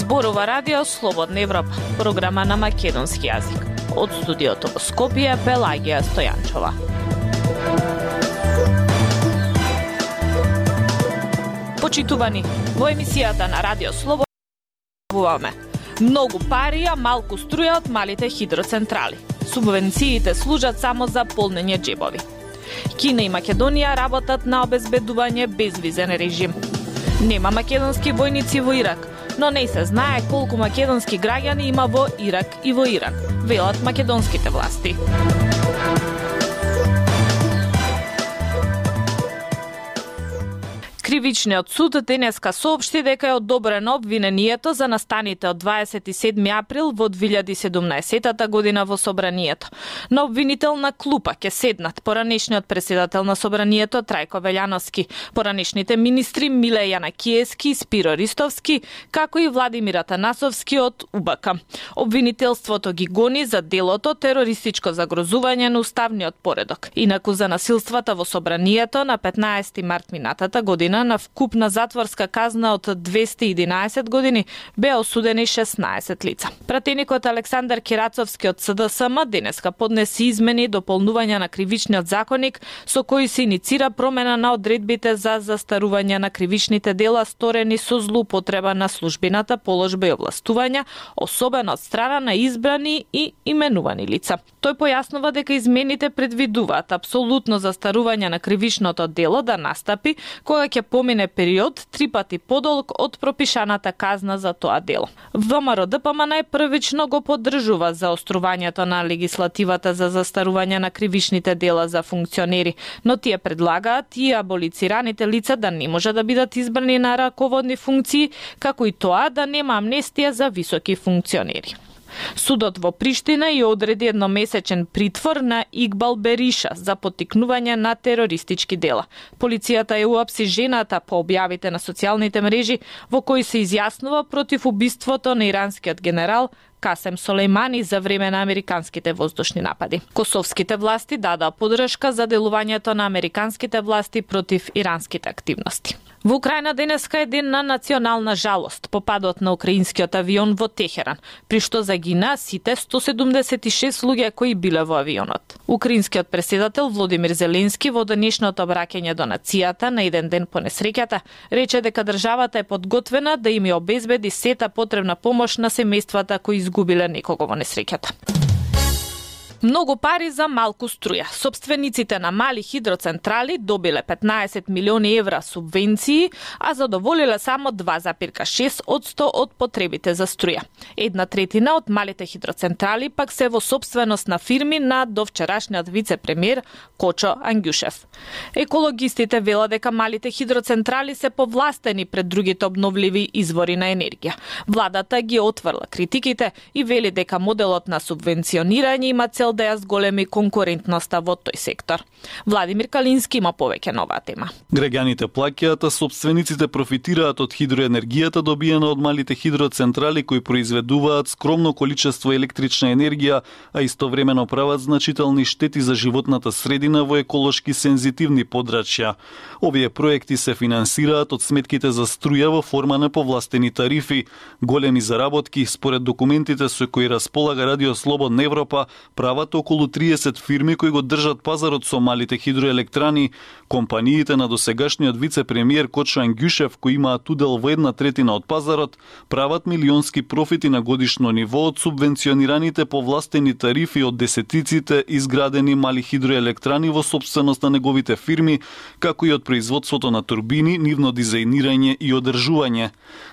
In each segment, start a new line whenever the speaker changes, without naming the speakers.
Зборува Радио Слободна Европа, програма на македонски јазик. Од студиото во Скопје, Пелагија Стојанчова. Почитувани, во емисијата на Радио Слободна Европа многу пари, а малку струја од малите хидроцентрали. Субвенциите служат само за полнење џебови. Кина и Македонија работат на обезбедување безвизен режим. Нема македонски војници во Ирак, но не се знае колку македонски граѓани има во Ирак и во Иран, велат македонските власти. Кривичниот суд денеска соопшти дека е одобрено обвинението за настаните од 27 април во 2017 година во Собранието. На обвинителна клупа ќе седнат поранешниот председател на Собранието Трајко Велјановски, поранешните министри Миле Јанакиевски и Спиро Ристовски, како и Владимир Атанасовски од УБК. Обвинителството ги гони за делото терористичко загрозување на уставниот поредок. Инаку за насилствата во Собранието на 15 март минатата година на вкупна затворска казна од 211 години беа осудени 16 лица. Пратеникот Александар Кирацовски од СДСМ денеска поднеси измени и дополнувања на кривичниот законник со кои се иницира промена на одредбите за застарување на кривичните дела сторени со злоупотреба на службената положба и овластувања, особено од страна на избрани и именувани лица. Тој појаснува дека измените предвидуваат апсолутно застарување на кривичното дело да настапи кога ќе помине период 3 пати подолг од пропишаната казна за тоа дело. ВМРО ДПМН првично го поддржува заострувањето на легислативата за застарување на кривичните дела за функционери, но тие предлагаат и аболицираните лица да не може да бидат избрани на раководни функции, како и тоа да нема амнестија за високи функционери. Судот во Приштина ја одреди едномесечен притвор на Игбал Бериша за поттикнување на терористички дела. Полицијата ја уапси жената по објавите на социјалните мрежи во кои се изјаснува против убиството на иранскиот генерал Касем Солејмани за време на американските воздушни напади. Косовските власти дадаа поддршка за делувањето на американските власти против иранските активности. Во Украина денеска е ден на национална жалост по падот на украинскиот авион во Техеран, при што загинаа сите 176 луѓе кои биле во авионот. Украинскиот председател Володимир Зеленски во денешното обраќање до нацијата на еден ден по несреќата рече дека државата е подготвена да им ја обезбеди сета потребна помош на семејствата кои изгубиле некого во несреќата. Многу пари за малку струја. Собствениците на мали хидроцентрали добиле 15 милиони евра субвенции, а задоволиле само 2,6% од потребите за струја. 1/3 од малите хидроцентрали пак се во сопственост на фирми на довчерашниот вице-премиер Кочо Ангјушев. Екологистите велат дека малите хидроцентрали се повластени пред другите обновливи извори на енергија. Владата ги отврла критиките и вели дека моделот на субвенционирање има цел да ја зголеми конкурентноста во тој сектор. Владимир Калински има повеќе на оваа тема.
Граѓаните плаќаат, а собствениците профитираат од хидроенергијата добиена од малите хидроцентрали кои произведуваат скромно количество електрична енергија, а истовремено прават значителни штети за животната средина во еколошки сензитивни подрачја. Овие проекти се финансираат од сметките за струја во форма на повластени тарифи. Големи заработки, според документите со кои располага Радио Слободна Европа, прават околу 30 фирми кои го држат пазарот со малите хидроелектрани. Компаниите на досегашниот вице-премиер Кочо Ангјушев, кои имаат удел во 1/3 од пазарот, прават милионски профити на годишно ниво од субвенционираните повластени тарифи од десетиците изградени мали хидроелектрани во собственост на неговите фирми, како и од производството на турбини, нивно дизајнирање и одржување.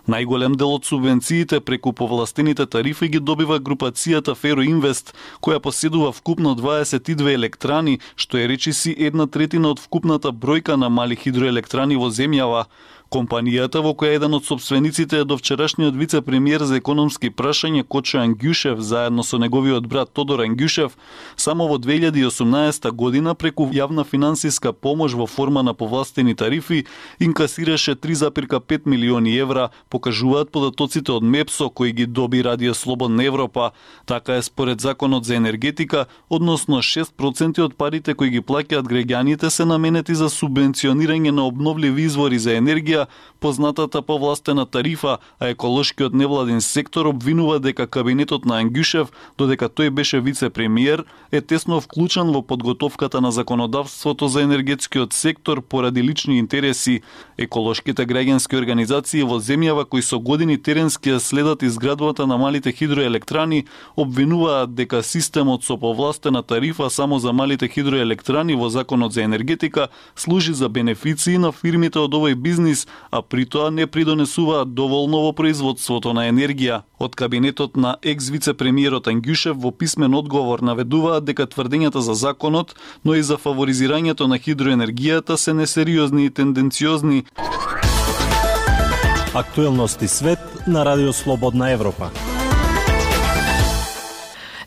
Најголем дел од субвенциите преку повластените тарифи ги добива групацијата Фероинвест, која поседува вкупно 22 електрани, што е речиси 1/3 од вкупната бројка на мали хидроелектрани во земјава. Компанијата, во која еден од собствениците е довчерашниот вице-премиер за економски прашања Кочо Ангјушев, заедно со неговиот брат Тодор Ангјушев, само во 2018 година преку јавна финансиска помош во форма на повластени тарифи инкасираше 3,5 милиони евра, покажуваат податоците од МЕПСО кои ги доби Радио Слободна Европа. Така е според законот за енергетика, односно 6% од парите кои ги плаќаат граѓаните се наменети за субвенционирање на обновливи извори за енергија, енергија, познатата повластена тарифа, а еколошкиот невладин сектор обвинува дека кабинетот на Ангјушев, додека тој беше вице-премиер, е тесно вклучен во подготовката на законодавството за енергетскиот сектор поради лични интереси. Еколошките граѓански организации во земјава кои со години теренски ја следат изградбата на малите хидроелектрани обвинуваат дека системот со повластена тарифа само за малите хидроелектрани во Законот за енергетика служи за бенефиции на фирмите од овој бизнис, а при тоа не придонесуваат доволно во производството на енергија. Од кабинетот на екс-вице-премиерот Ангјушев во писмен одговор наведуваат дека тврдењата за законот, но и за фаворизирањето на хидроенергијата се несериозни и тенденциозни.
Актуелности свет на Радио Слободна Европа.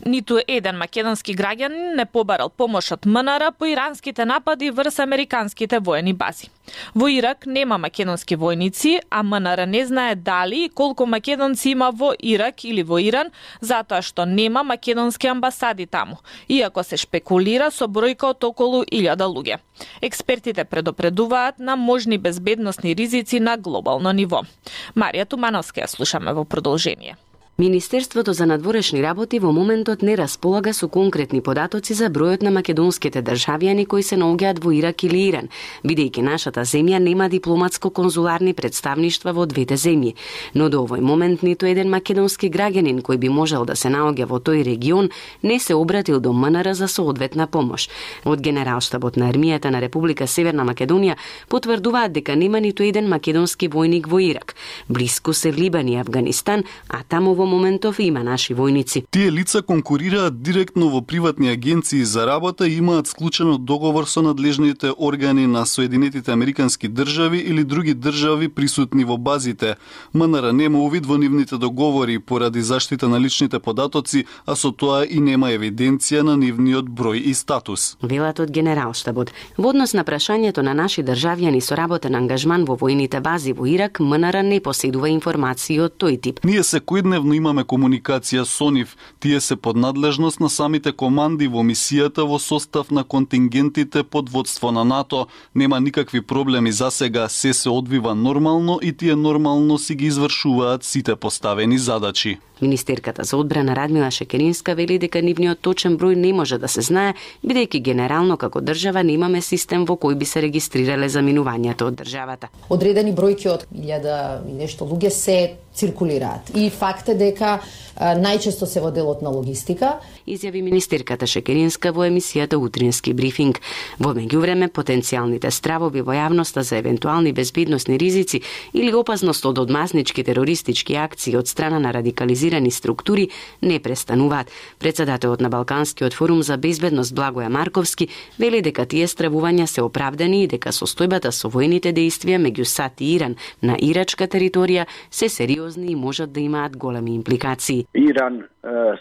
Ниту еден македонски граѓанин не побарал помош од МНР по иранските напади врз американските воени бази. Во Ирак нема македонски војници, а МНР не знае дали и колку македонци има во Ирак или во Иран, затоа што нема македонски амбасади таму, иако се шпекулира со бројка од околу 1000 луѓе. Експертите предупредуваат на можни безбедносни ризици на глобално ниво. Марија Тумановска ја слушаме во продолжение.
Министерството за надворешни работи во моментот не располага со конкретни податоци за бројот на македонските државјани кои се наоѓаат во Ирак или Иран, бидејќи нашата земја нема дипломатско-конзуларни представништва во двете земји. Но до овој момент ниту еден македонски граѓанин кој би можел да се наоѓа во тој регион не се обратил до МНР за соодветна помош. Од Генералштабот на армијата на Република Северна Македонија потврдуваат дека нема ниту еден македонски војник во Ирак. Блиску се Либан и Авганистан, а таму во моментов има наши војници.
Тие лица конкурираат директно во приватни агенции за работа и имаат склучено договор со надлежните органи на Соединетите Американски држави или други држави присутни во базите. МНР нема увид во нивните договори поради заштита на личните податоци, а со тоа и нема евиденција на нивниот број и статус.
Велат од Генералштабот. Во однос на прашањето на наши државјани со работен ангажман во војните бази во Ирак, МНР не поседува информации од тој тип.
Ние секојдневно имаме комуникација со нив. Тие се под надлежност на самите команди во мисијата во состав на контингентите под водство на НАТО. Нема никакви проблеми за сега, се одвива нормално и тие нормално си ги извршуваат сите поставени задачи.
Министерката за одбрана Радмила Шекеринска вели дека нивниот точен број не може да се знае, бидејќи генерално како држава немаме систем во кој би се регистрирале заминувањата од државата.
Одредени бројки од 1000 и нешто луѓе се циркулираат. И факт е дека најчесто се во делот на логистика.
Изјави министерката Шекеринска во емисијата Утрински брифинг. Во меѓувреме, потенцијалните стравови во јавноста за евентуални безбедносни ризици или опасност од одмазнички терористички акции од страна на радикализирани структури не престануваат. Председателот на Балканскиот форум за безбедност Благоја Марковски вели дека тие стравувања се оправдани и дека состојбата со војните дејствија меѓу САД и Иран на ирачка територија се сериозни и можат да имаат големи импликации.
Иран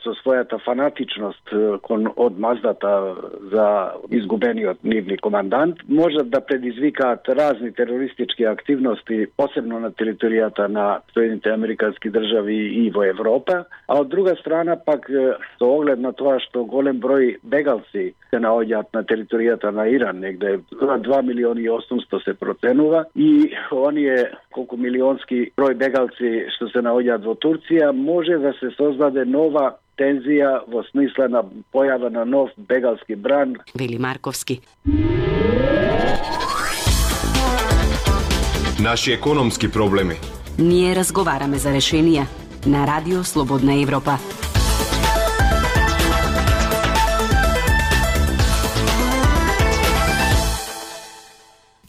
со својата фанатичност кон одмаздата за изгубениот нивни командант можат да предизвикаат разни терористички активности, посебно на територијата на Соединените Американски држави и во Европа, а од друга страна пак со оглед на тоа што голем број бегалци се наоѓаат на територијата на Иран, негде 2.800.000 се проценува, и оние колку милионски број бегалци што се наоѓаат во Турција, може да се создаде нова тензија во смисла на појава на нов бегалски бран.
Вели Марковски.
Наши економски проблеми.
Ние разговараме за решенија на Радио Слободна Европа.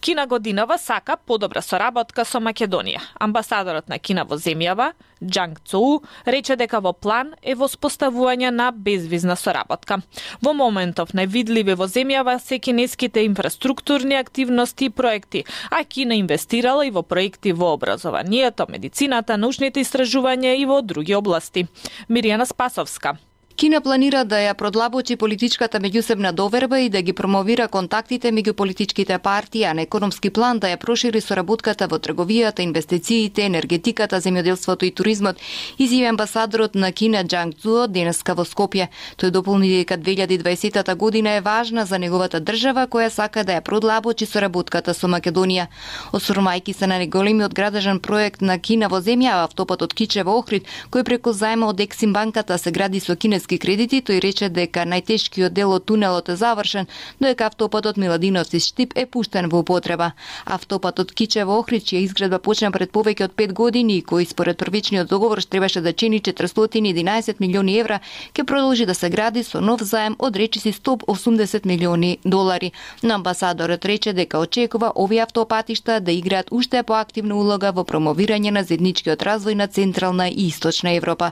Кина годинава сака подобра соработка со Македонија. Амбасадорот на Кина во земјава, Џанг Цоу, рече дека во план е воспоставување на безвизна соработка. Во моментов највидливи во земјава се кинеските инфраструктурни активности и проекти, а Кина инвестирала и во проекти во образованието, медицината, научните истражувања и во други области. Миријана Спасовска.
Кина планира да ја продлабочи политичката меѓусебна доверба и да ги промовира контактите меѓу политичките партии, а на економски план да ја прошири соработката во трговијата, инвестициите, енергетиката, земјоделството и туризмот, изјави амбасадорот на Кина Џанг Цуо денеска во Скопје. Тој дополни дека 2020 година е важна за неговата држава која сака да ја продлабочи соработката со Македонија. Осврмајќи се на неголемиот градежен проект на Кина во земја, автопатот Кичево-Охрид, кој преку заема од Ексим банката се гради со кинески кредити, тој рече дека најтешкиот дел од тунелот е завршен, додека автопатот Миладиновци-Штип е пуштен во употреба. Автопатот Кичево-Охрид, чија изградба почна пред повеќе од 5 години и кој според првичниот договор требаше да чини 411 милиони евра, ќе продолжи да се гради со нов заем од речиси 180 милиони долари. Но амбасадорот рече дека очекува овие автопатишта да играат уште поактивна улога во промовирање на заедничкиот развој на Централна и Источна Европа.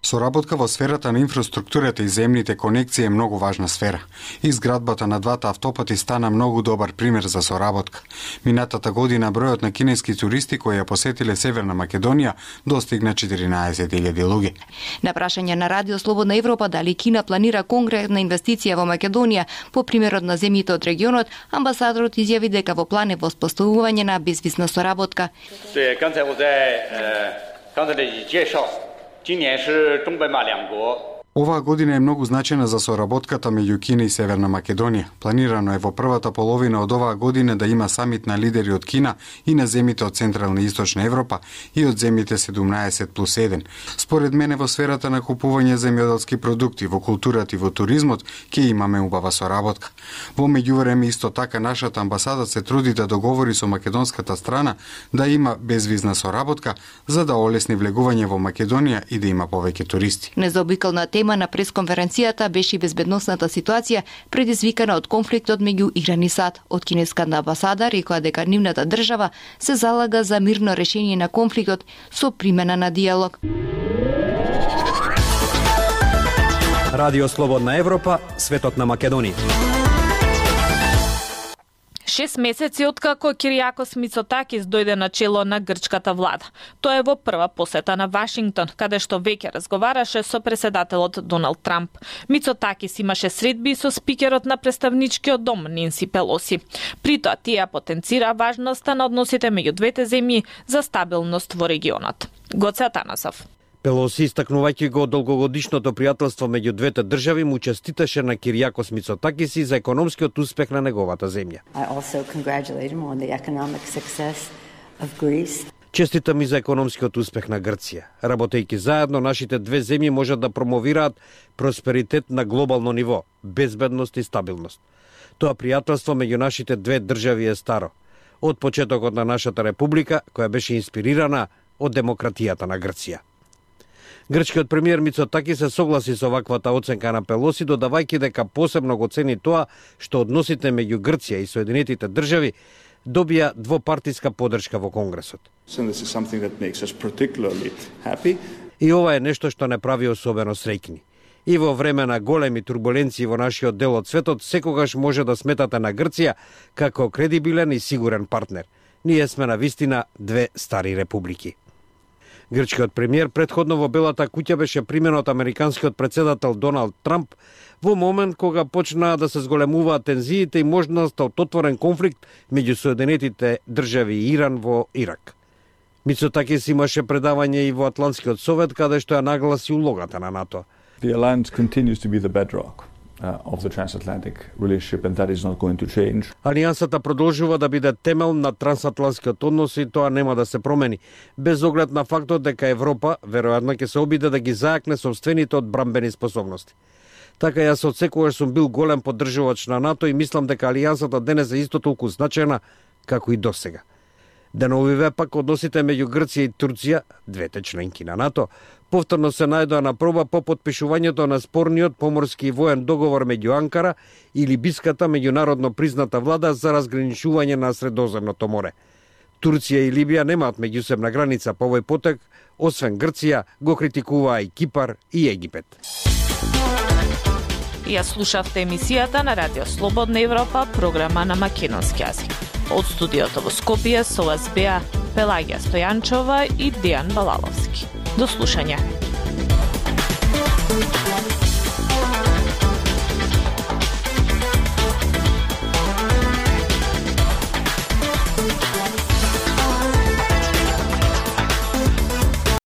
Соработка во сферата на инфраструктурата и земните конекции е многу важна сфера. Изградбата на двата автопати стана многу добар пример за соработка. Минатата година бројот на кинески туристи кои ја посетиле Северна Македонија достигна 14.000 луѓе.
На прашање на Радио Слободна Европа дали Кина планира конкретна инвестиција во Македонија по примерот на земјите од регионот, амбасадорот изјави дека во план е воспоставување на безвизна соработка.
Оваа година е многу значена за соработката меѓу Кина и Северна Македонија. Планирано е во првата половина од оваа година да има самит на лидери од Кина и на земјите од Централна и Источна Европа и од земјите 17+1. Според мене во сферата на купување земјоделски продукти, во културата и во туризмот ќе имаме убава соработка. Во меѓувреме исто така нашата амбасада се труди да договори со македонската страна да има безвизна соработка за да олесни влегување во Македонија и да има повеќе туристи.
Незаобиколна тема на пресконференцијата беше безбедносната ситуација предизвикана од конфликтот меѓу Иран и САД. Од кинеската амбасада рекоа дека нивната држава се залага за мирно решение на конфликтот со примена на диалог.
Радио Слободна Европа, светот на Македонија.
6 месеци откако Киријакос Мицотакис дојде на чело на грчката влада. Тоа е во прва посета на Вашингтон, каде што веќе разговараше со преседателот Доналд Трамп. Мицотакис имаше средби со спикерот на представничкиот дом Ненси Пелоси. При тоа тие потенцира важноста на односите меѓу двете земји за стабилност во регионот. Гоце Атанасов.
Пелоси, истакнувајќи го долгогодишното пријателство меѓу двете држави, му честиташе на Киријакос Мицотакис и за економскиот успех на неговата земја. Честитам и за економскиот успех на Грција. Работејќи заедно, нашите две земји можат да промовираат просперитет на глобално ниво, безбедност и стабилност. Тоа пријателство меѓу нашите две држави е старо. Од почетокот на нашата република, која беше инспирирана од демократијата на Грција. Грчкиот премиер Мицотакис се согласи со ваквата оценка на Пелоси, додавајќи дека посебно го цени тоа што односите меѓу Грција и Соединетите држави добија двопартиска поддршка во Конгресот. И ова е нешто што не прави особено среќни. И во време на големи турбуленции во нашиот дел од светот, секогаш може да сметате на Грција како кредибилен и сигурен партнер. Ние сме на вистина две стари републики. Грчкиот премиер претходно во Белата куќа беше примен од американскиот председател Доналд Трамп во момент кога почнаа да се зголемуваат тензиите и можноста од отворен конфликт меѓу Соединетите држави и Иран во Ирак. Мицотакис имаше предавање и во Атлантскиот совет, каде што ја нагласи улогата на НАТО.
The alliance continues to be the bedrock of the transatlantic relationship, and that is not going to change.
Алијансата продолжува да биде темел на трансатлантскиот однос и тоа нема да се промени, без оглед на фактот дека Европа веројатно ќе се обиде да ги зајакне сопствените одбрамбени способности. Така јас од секогаш сум бил голем поддржувач на НАТО и мислам дека алијансата денес е исто толку значајна како и досега. Деновиве пак односите меѓу Грција и Турција, двете членки на НАТО, повторно се најдоа на проба по подпишувањето на спорниот поморски и воен договор меѓу Анкара и либиската меѓународно призната влада за разграничување на Средоземното море. Турција и Либија немаат меѓусебна граница по овој потек, освен Грција го критикуваа и Кипар и Египет.
Ја слушавте емисијата на Радио Слободна Европа, програма на македонски јазик. Од студиото во Скопје со вас беа Пелагија Стојанчова и Дејан Балаловски. До слушање.